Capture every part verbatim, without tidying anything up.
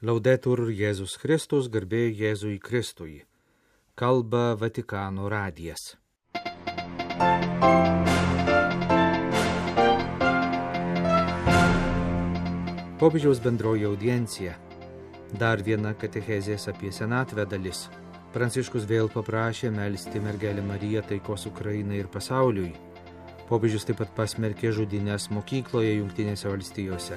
Laudetur Jėzus Kristus, garbė Jėzui Kristui. Kalba Vatikano radijas. Popiežiaus bendroji audiencija. Dar viena katechezės apie senatvę dalis. Pranciškus vėl paprašė melsti mergelę Mariją taikos Ukrainai ir pasauliui. Popiežius taip pat pasmerkė žudynės mokykloje Jungtinėse valstijose.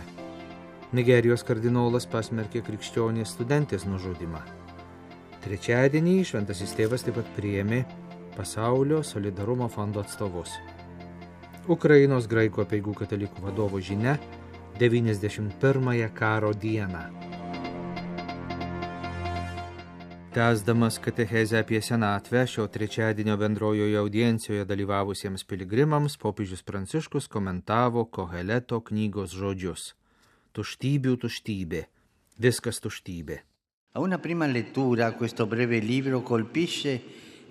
Nigerijos kardinolas pasmerkė krikščionės studentės nužudymą. Trečiadienį šventasis tėvas taip pat priėmė Pasaulio solidarumo fondo atstovus. Ukrainos graikų apeigų katalikų vadovo žinia devyniasdešimt pirmąją karo dieną. Tęsdamas katechezę apie senatvę, šio trečiadienio bendrojoje audiencijoje dalyvavusiems piligrimams, popiežius Pranciškus komentavo Koheleto knygos žodžius. Tuštybių tuštybė, viskas tuštybė. A una prima lettura questo breve libro colpisce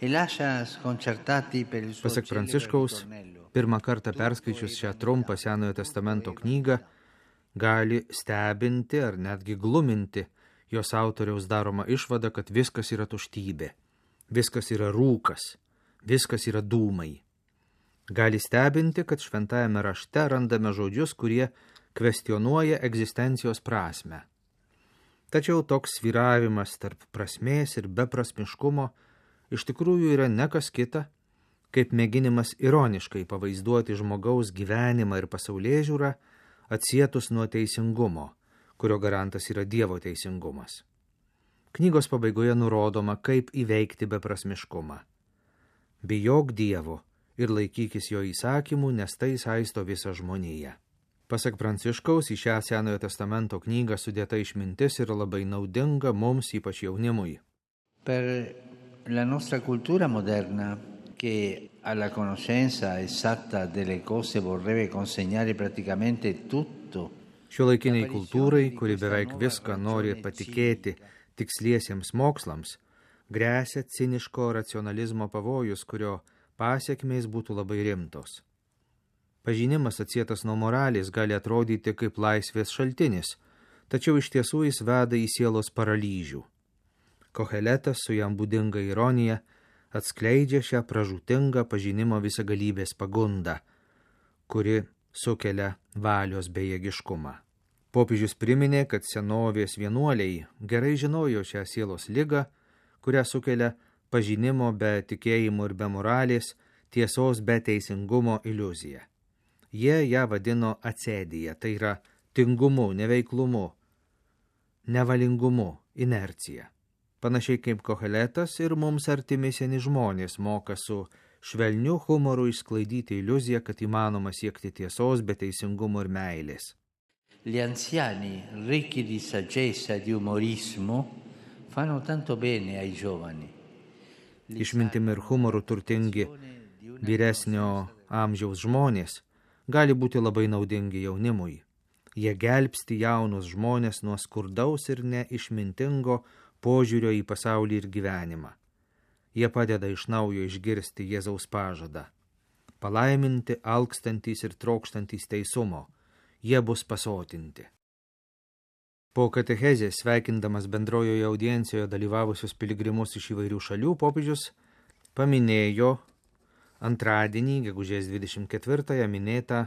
e lascia sconcertati per il suo Pasak Pranciškaus, pirmą kartą perskaičius šią trumpą Senojo testamento knygą, gali stebinti ar netgi gluminti jos autoriaus daroma išvada, kad viskas yra tuštybė, viskas yra rūkas, viskas yra dūmai. Gali stebinti, kad šventajame rašte randame žodžius, kurie kvestionuoja egzistencijos prasmę. Tačiau toks svyravimas tarp prasmės ir beprasmiškumo iš tikrųjų yra ne kas kita, kaip mėginimas ironiškai pavaizduoti žmogaus gyvenimą ir pasaulėžiūrą atsietus nuo teisingumo, kurio garantas yra Dievo teisingumas. Knygos pabaigoje nurodoma, kaip įveikti beprasmiškumą. Bijok Dievo ir laikykis jo įsakymų, nes tai saisto visą žmoniją. Pasak Pranciškaus, į šią Senojo testamento knygą sudėta išmintis yra labai naudinga mums, ypač jaunimui. Per la nostra cultura moderna, che alla conoscenza esatta delle cose vorrebbe consegnare praticamente tutto. Šiuolaikiniai kultūrai, kuri beveik viską nori patikėti tiksliesiems mokslams, gresia ciniško racionalizmo pavojus, kurio pasekmės būtų labai rimtos. Pažinimas atsietas nuo moralės gali atrodyti kaip laisvės šaltinis, tačiau iš tiesų jis veda į sielos paralyžių. Koheletas su jam būdinga ironija atskleidžia šią pražūtingą pažinimo visagalybės pagundą, kuri sukelia valios bejėgiškumą. Popiežius priminė, kad senovės vienuoliai gerai žinojo šią sielos ligą, kurią sukelia pažinimo be tikėjimo ir be moralės, tiesos be teisingumo iliuzija. Jie ją vadino acedija, tai yra tingumu, neveiklumu, nevalingumu, inercija. Panašiai kaip Koheletas ir mums artimi seni žmonės moka su švelniu humoru išsklaidyti iliuziją, kad įmanoma siekti tiesos be teisingumo ir meilės. Gli anziani, ricchi di saggezza e di umorismo, fanno tanto bene ai giovani. Išmintimi ir humoru turtingi vyresnio amžiaus žmonės gali būti labai naudingi jaunimui. Jie gelbsti jaunus žmonės nuo skurdaus ir neišmintingo požiūrio į pasaulį ir gyvenimą. Jie padeda iš naujo išgirsti Jėzaus pažadą. Palaiminti alkstantys ir trokštantys teisumo, jie bus pasotinti. Po katechezės sveikindamas bendrojoje audiencijoje dalyvavusius piligrimus iš įvairių šalių, popiežius paminėjo antradienį, gegužės dvidešimt ketvirtąją minėtą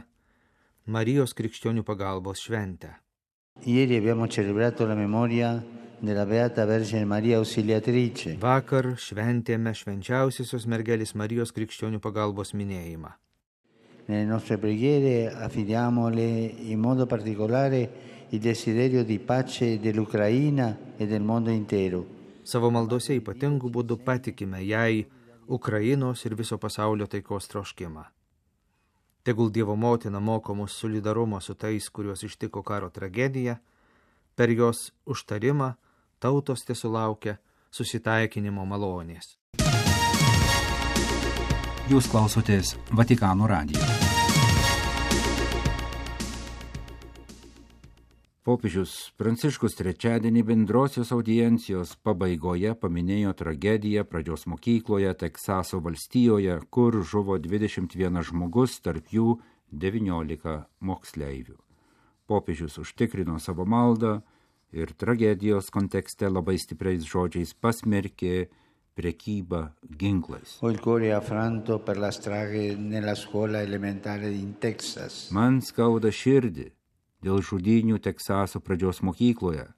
Marijos krikščionių pagalbos šventę. Ieri abbiamo celebrato la memoria della Beata Vergine Maria Ausiliatrice. Vakar šventėme švenčiausiosios mergelės Marijos krikščionių pagalbos minėjimą. Nelle nostre preghiere affidiamole in modo particolare il desiderio di pace dell'Ucraina e del mondo intero. Savo maldose ypatingų būdų patikime jai Ukrainos ir viso pasaulio taikos troškimą. Tegul Dievo motina moko mus solidarumo su tais, kuriuos ištiko karo tragedija, per jos užtarimą tautos tesulaukia susitaikinimo malonės. Jūs klausotės Vatikano radijo. Popiežius Pranciškus trečiadienį bendrosios audiencijos pabaigoje paminėjo tragediją pradžios mokykloje Teksaso valstijoje, kur žuvo dvidešimt vienas žmogus, tarp jų devyniolika moksleivių. Popiežius užtikrino savo maldą ir tragedijos kontekste labai stipriais žodžiais pasmerkė prekybą ginklais. Ho il cuore affranto per la strage nella scuola elementare in Texas. Man skauda širdį dėl žudynių Teksaso pradžios mokykloje,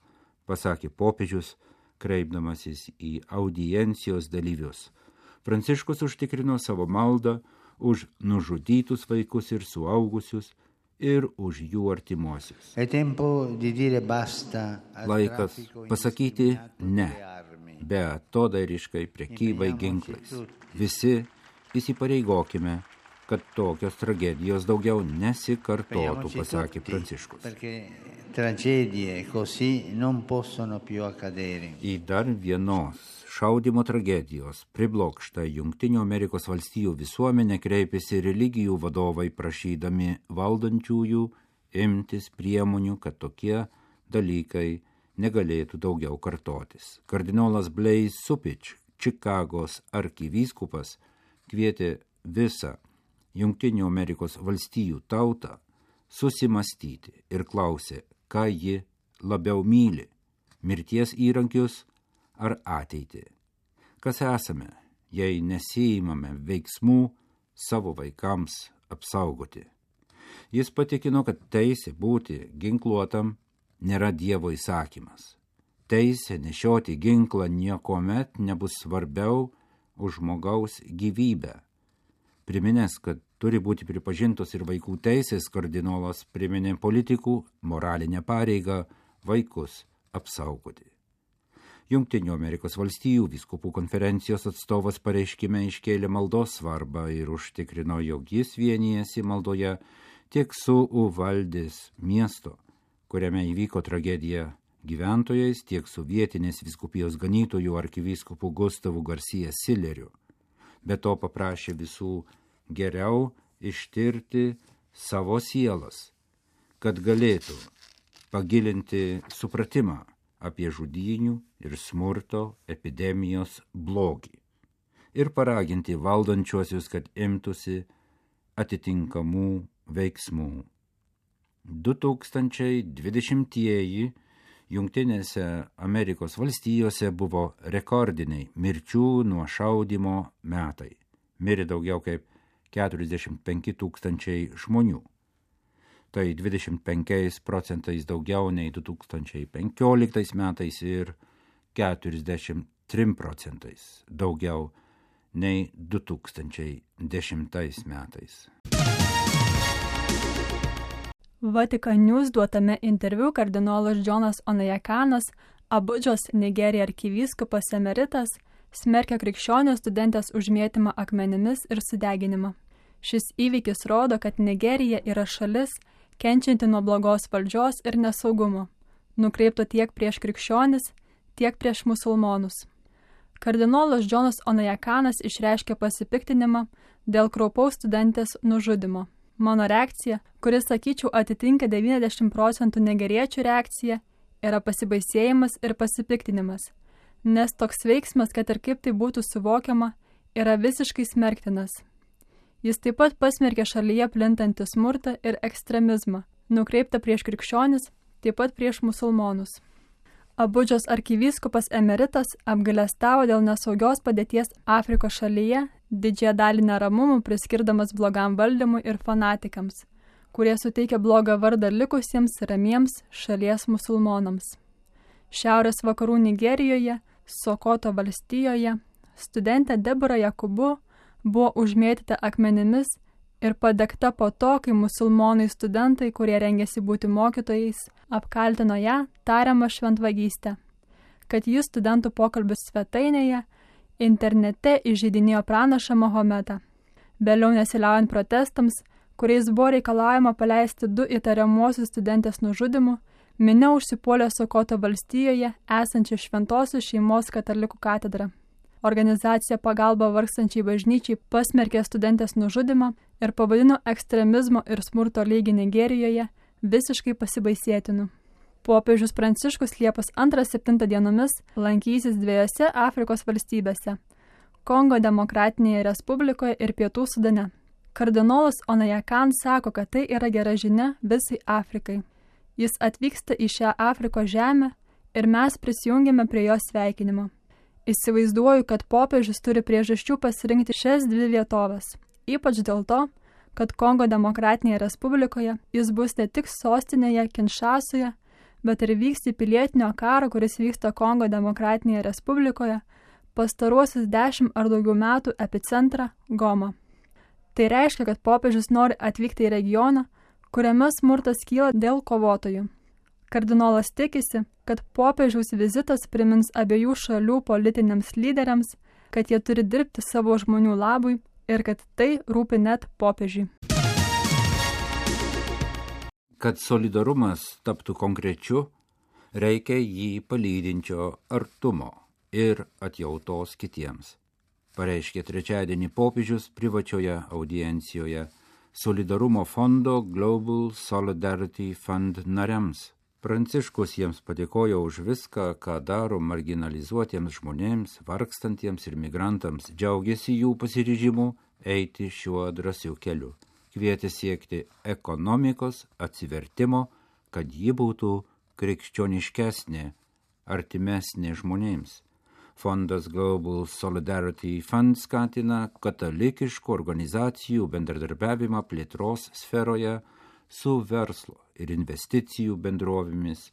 pasakė popiežius, kreipdamasis į audiencijos dalyvius. Pranciškus užtikrino savo maldą už nužudytus vaikus ir suaugusius ir už jų artimuosius. Laikas pasakyti ne beatodairiškai prekybai ginklais. Visi įsipareigokime, kad tokios tragedijos daugiau nesikartotų, pasakė Pranciškus. Į dar vienos šaudymo tragedijos priblokštą Jungtinių Amerikos valstijų visuomenę kreipėsi religijų vadovai prašydami valdančiųjų imtis priemonių, kad tokie dalykai negalėtų daugiau kartotis. Kardinolas Blaise Supich, Čikagos arkivyskupas, kvietė visą Jungtinių Amerikos valstijų tautą susimastyti ir klausė, ką ji labiau myli – mirties įrankius ar ateitį. Kas esame, jei nesiimame veiksmų savo vaikams apsaugoti? Jis patikino, kad teisė būti ginkluotam nėra Dievo įsakymas. Teisė nešioti ginklą niekuomet nebus svarbiau už žmogaus gyvybę. Priminęs, kad turi būti pripažintos ir vaikų teisės, kardinolas priminė politikų moralinę pareigą vaikus apsaugoti. Jungtinių Amerikos valstijų vyskupų konferencijos atstovas pareiškime iškėlė maldos svarbą ir užtikrino, jog jis vienijasi maldoje tiek su Uvaldės miesto, kuriame įvyko tragedija, gyventojais, tiek su vietinės vyskupijos ganytojų arkivyskupu Gustavu Garcia Silleriu. Be to paprašė visų geriau ištirti savo sielas, kad galėtų pagilinti supratimą apie žudynių ir smurto epidemijos blogį ir paraginti valdančiuosius, kad imtųsi atitinkamų veiksmų. du tūkstančiai dvidešimtieji Jungtinėse Amerikos valstijose buvo rekordiniai mirčių nuo šaudymo metai. Mirė daugiau kaip keturiasdešimt penki tūkstančiai žmonių. Tai dvidešimt penkiais procentais daugiau nei du tūkstančiai penkioliktais metais ir keturiasdešimt trim procentais daugiau nei du tūkstančiai dešimtais metais. Vatican News duotame interviu kardinolas Džonas Onajakanas, Abudžos Nigerija arkivyskupas emeritas, smerkia krikščionio studentės užmėtymą akmenimis ir sudeginimą. Šis įvykis rodo, kad Nigerija yra šalis, kenčianti nuo blogos valdžios ir nesaugumo, nukreipto tiek prieš krikščionis, tiek prieš musulmonus. Kardinolas Džonas Onajakanas išreiškė pasipiktinimą dėl kraupaus studentės nužudymo. Mano reakcija, kuris, sakyčiau, atitinka devyniasdešimt procentų nigeriečių reakciją, yra pasibaisėjimas ir pasipiktinimas, nes toks veiksmas, kad ir kaip tai būtų suvokiama, yra visiškai smerktinas. Jis taip pat pasmerkė šalyje plintantį smurtą ir ekstremizmą, nukreiptą prieš krikščionis, taip pat prieš musulmonus. Abudžos arkivyskupas emeritas apgailestavo dėl nesaugios padėties Afrikos šalyje, didžiąją dalį neramumų priskirdamas blogam valdymui ir fanatikams, kurie suteikia blogą vardą likusiems ramiems šalies musulmonams. Šiaurės vakarų Nigerijoje, Sokoto valstijoje, studentė Debora Jakubu buvo užmėtyta akmenimis ir padegta po to, kai musulmonai studentai, kurie rengėsi būti mokytojais, apkaltino ją tariamą šventvagystę, kad jis studentų pokalbių svetainėje internete įžeidinėjo pranašą Mahometą. Vėliau nesiliaujant protestams, kuriais buvo reikalaujama paleisti du įtariamuosius studentės nužudimu, minia užsipuolė Sokoto valstijoje esančią Šventosios šeimos katalikų katedrą. Organizacija Pagalba vargstančiai bažnyčiai pasmerkė studentės nužudymą ir pavadino ekstremizmo ir smurto lygį Nigerijoje visiškai pasibaisėtinu. Popiežius Pranciškus Liepos antrą septintą dienomis lankysis dviejose Afrikos valstybėse – Kongo Demokratinėje Respublikoje ir Pietų Sudane. Kardinolas Onajakan sako, kad tai yra gera žinia visai Afrikai. Jis atvyksta į šią Afrikos žemę, ir mes prisijungėme prie jo sveikinimo. Įsivaizduoju, kad popiežius turi priežasčių pasirinkti šias dvi vietovės, ypač dėl to, kad Kongo demokratinėje respublikoje jis bus ne tik sostinėje Kinšasoje, bet ir vyks į pilietinio karo, kuris vyksta Kongo demokratinėje respublikoje, pastaruosius dešimt ar daugiau metų epicentrą Gomą. Tai reiškia, kad popiežius nori atvykti į regioną, kuriame smurtas kyla dėl kovotojų. Kardinolas tikisi, kad popiežiaus vizitas primins abiejų šalių politiniams lyderiams, kad jie turi dirbti savo žmonių labui ir kad tai rūpi net popiežiui. Kad solidarumas taptų konkrečiu, reikia jį palydinčio artumo ir atjautos kitiems, pareiškė trečiadienį popiežius privačioje audiencijoje Solidarumo fondo Global Solidarity Fund nariams. Pranciškus jiems padėkojo už viską, ką daro marginalizuotiems žmonėms, vargstantiems ir migrantams, džiaugiasi jų pasiryžimu eiti šiuo drąsiu keliu. Kvietė siekti ekonomikos atsivertimo, kad ji būtų krikščioniškesnė, artimesnė žmonėms. Fondas Global Solidarity Fund skatina katalikiškų organizacijų bendradarbiavimą plėtros sferoje su verslo ir investicijų bendrovėmis,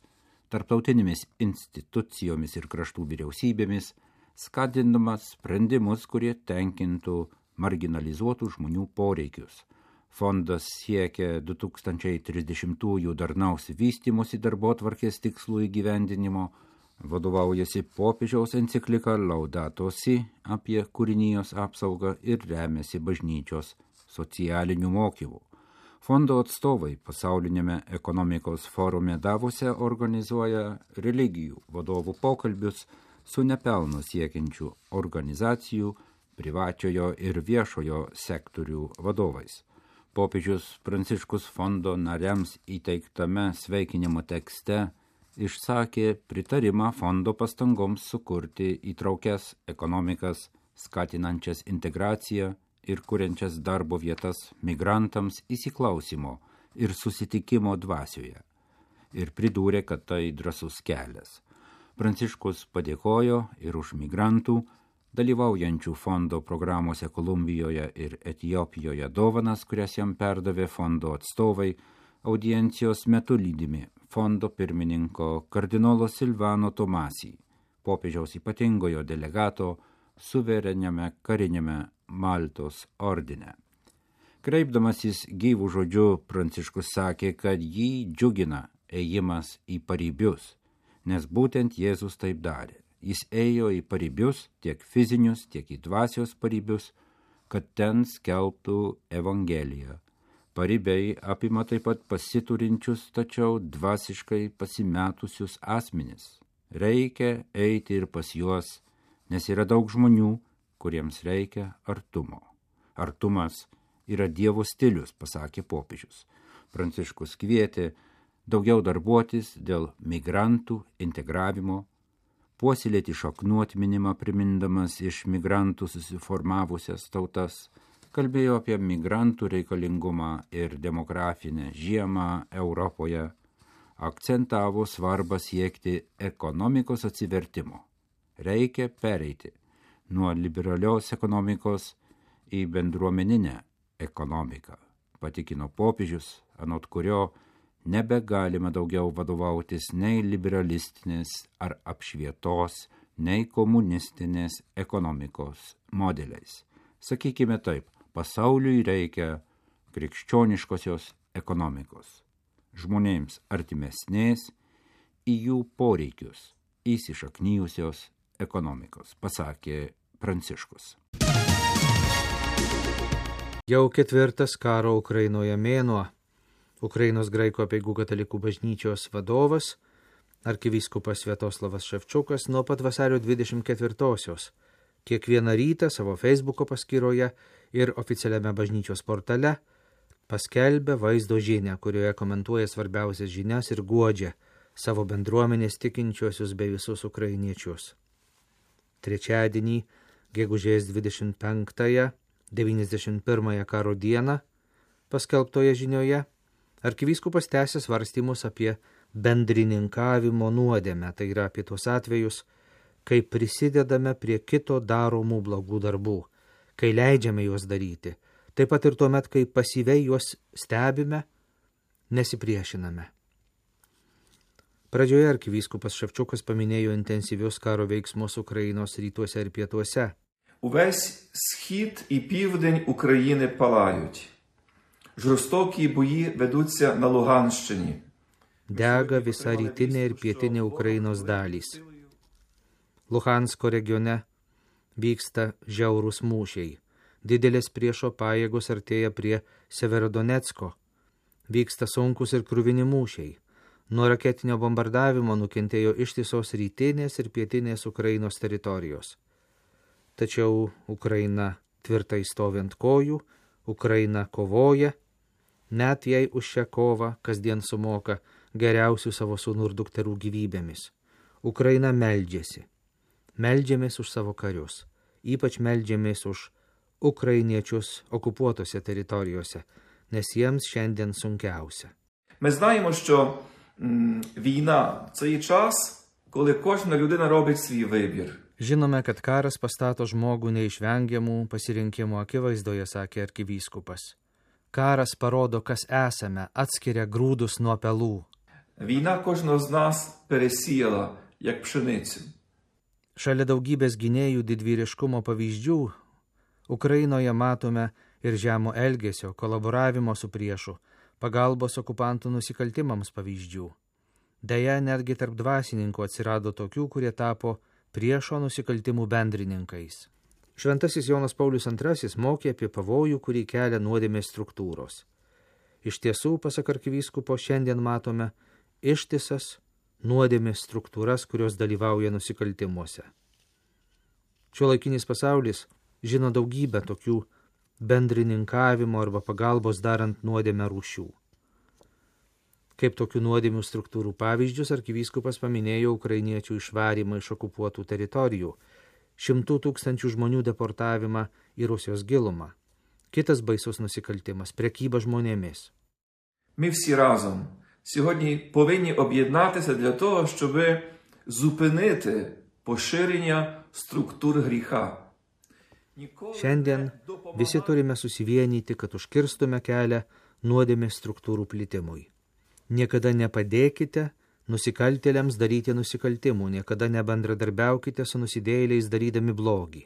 tarptautinėmis institucijomis ir kraštų vyriausybėmis, skatindamas sprendimus, kurie tenkintų marginalizuotų žmonių poreikius. Fondas siekia du tūkstančiai trisdešimtųjų darnaus vystymosi darbotvarkės tikslų įgyvendinimo, vadovaujasi popiežiaus enciklika Laudato Si apie kūrinijos apsaugą ir remiasi bažnyčios socialinių mokymų. Fondo atstovai pasaulinėme ekonomikos forume Davose organizuoja religijų vadovų pokalbius su nepelno siekiančių organizacijų, privačiojo ir viešojo sektorių vadovais. Popiežius Pranciškus fondo nariams įteiktame sveikinimo tekste išsakė pritarimą fondo pastangoms sukurti įtraukias ekonomikas, skatinančias integraciją ir kuriančias darbo vietas migrantams įsiklausimo ir susitikimo dvasioje. Ir pridūrė, kad tai drąsus kelias. Pranciškus padėkojo ir už migrantų, dalyvaujančių fondo programuose Kolumbijoje ir Etiopijoje dovanas, kurias jam perdavė fondo atstovai, audiencijos metu lydimi fondo pirmininko kardinolo Silvano Tomasi, popiežiaus ypatingojo delegato suvereniame kariniame Maltos ordine. Kreipdamasis gyvų žodžiu, Pranciškus sakė, kad jį džiugina ėjimas į paribius, nes būtent Jėzus taip darė. Jis ėjo į paribius, tiek fizinius, tiek į dvasios paribius, kad ten skelbtų Evangeliją. Paribiai apima taip pat pasiturinčius, tačiau dvasiškai pasimetusius asmenis. Reikia eiti ir pas juos, nes yra daug žmonių, kuriems reikia artumo. Artumas yra Dievo stilius, pasakė popiežius. Pranciškus kvietė daugiau darbuotis dėl migrantų integravimo, puoselėti šaknų atminimą primindamas iš migrantų susiformavusias tautas, kalbėjo apie migrantų reikalingumą ir demografinę žiemą Europoje, akcentavo svarbą siekti ekonomikos atsivertimo. Reikia pereiti nuo liberalios ekonomikos į bendruomeninę ekonomiką, patikino popiežius, anot kurio nebegalima daugiau vadovautis nei liberalistinės ar apšvietos, nei komunistinės ekonomikos modeliais. Sakykime taip, pasauliui reikia krikščioniškosios ekonomikos, žmonėms artimesnės į jų poreikius įsišaknyjusios ekonomikos, pasakė Pranciškus. Jau ketvirtas karo Ukrainoje mėnuo. Ukrainos graikų apeigų katalikų bažnyčios vadovas, arkivyskupas Sviatoslavas Ševčiukas, nuo pat vasario dvidešimt ketvirtosios kiekvieną rytą savo Facebooko paskyroje ir oficialiame bažnyčios portale paskelbė vaizdo žinią, kurioje komentuoja svarbiausias žinias ir guodžia savo bendruomenės tikinčiuosius bei visus ukrainiečius. Trečiadienį, gegužės dvidešimt penktąją, devyniasdešimt pirmąją karo dieną, paskelbtoje žinioje, arkivyskupas tęsė svarstymus apie bendrininkavimo nuodėmę, tai yra apie tuos atvejus, kai prisidedame prie kito daromų blogų darbų, kai leidžiame juos daryti, taip pat ir tuomet, kai pasyviai juos stebime, nesipriešiname. Pradžioje arkivyskupas Ševčukas paminėjo intensyvius karo veiksmus Ukrainos rytuose ir pietuose. Увесь схід і південь України палають. Жорстокі бої ведуться на Луганщині. Dega visa rytinė ir pietinė Ukrainos dalys. Luhansko regione vyksta žiaurūs mūšiai. Didelės priešo pajėgos artėja prie Severodonecko. Vyksta sunkus ir kruvini mūšiai. Nuo raketinio bombardavimo nukentėjo ištisos rytinės ir pietinės Ukrainos teritorijos. Tačiau Ukraina tvirtai stovi ant kojų, Ukraina kovoja, net jei už šią kovą kasdien sumoka geriausių savo sūnų ir dukterų gyvybėmis. Ukraina meldžiasi. Meldžiamės už savo karius. Ypač meldžiamės už ukrainiečius okupuotose teritorijose, nes jiems šiandien sunkiausia. Ми знаємо, що м, війна – це є час, коли кожна людина робить свій вибір. Žinome, kad karas pastato žmogų neišvengiamų pasirinkimų akivaizdoje, sakė arkivyskupas. Karas parodo, kas esame, atskiria grūdus nuo pelų. Війна кожного з нас пересіяла, як пшеницю. Šalia daugybės gynėjų didvyriškumo pavyzdžių, Ukrainoje matome ir žemo elgesio, kolaboravimo su priešu, pagalbos okupantų nusikaltimams pavyzdžių. Deja, netgi tarp dvasininkų atsirado tokių, kurie tapo priešo nusikaltimų bendrininkais. Šventasis Jonas Paulius antrasis mokė apie pavojų, kurį kelia nuodėmės struktūros. Iš tiesų, pasak arkivyskupo, šiandien matome ištisas nuodėmės struktūras, kurios dalyvauja nusikaltimuose. Šiuolaikinis pasaulis žino daugybę tokių bendrininkavimo arba pagalbos darant nuodėmę rūšių. Kaip tokių nuodėmių struktūrų pavyzdžius arkivyskupas paminėjo ukrainiečių išvarymą iš okupuotų teritorijų, šimtų tūkstančių žmonių deportavimą į Rusijos gilumą. Kitas baisus nusikaltimas – prekyba žmonėmis. Ми всі разом сьогодні повинні об'єднатися для того, щоб зупинити поширення структур гріха. Šiandien visi turime susivienyti, kad užkirstume kelią nuodėmės struktūrų plitimui. Niekada nepadėkite nusikaltėliams daryti nusikaltimų, niekada nebendradarbiaukite su nusidėjėliais darydami blogį.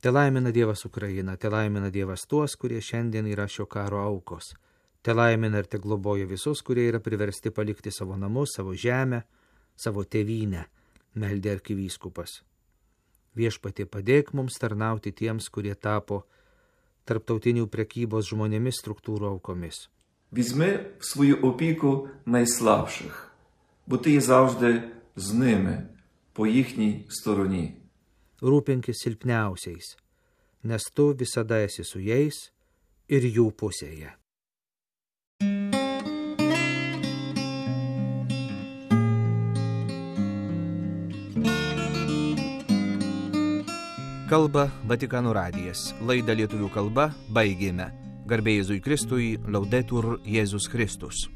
Te laimina Dievas Ukrainą, te laimina Dievas tuos, kurie šiandien yra šio karo aukos. Te laimina ir te globoja visus, kurie yra priversti palikti savo namus, savo žemę, savo tėvynę, meldė arkivyskupas. Viešpatie, padėk mums tarnauti tiems, kurie tapo tarptautinių prekybos žmonėmis struktūrų aukomis. Візьми в свою опіку найслабших, бо ти є завжди з ними, по їхній стороні. Rūpinkis silpniausiais, nes tu visada esi su jais ir jų pusėje. Kalba Vatikano radijas. Laidą lietuvių kalba baigėme. Garbė Jėzui Kristui, Laudetur Jėzus Kristus.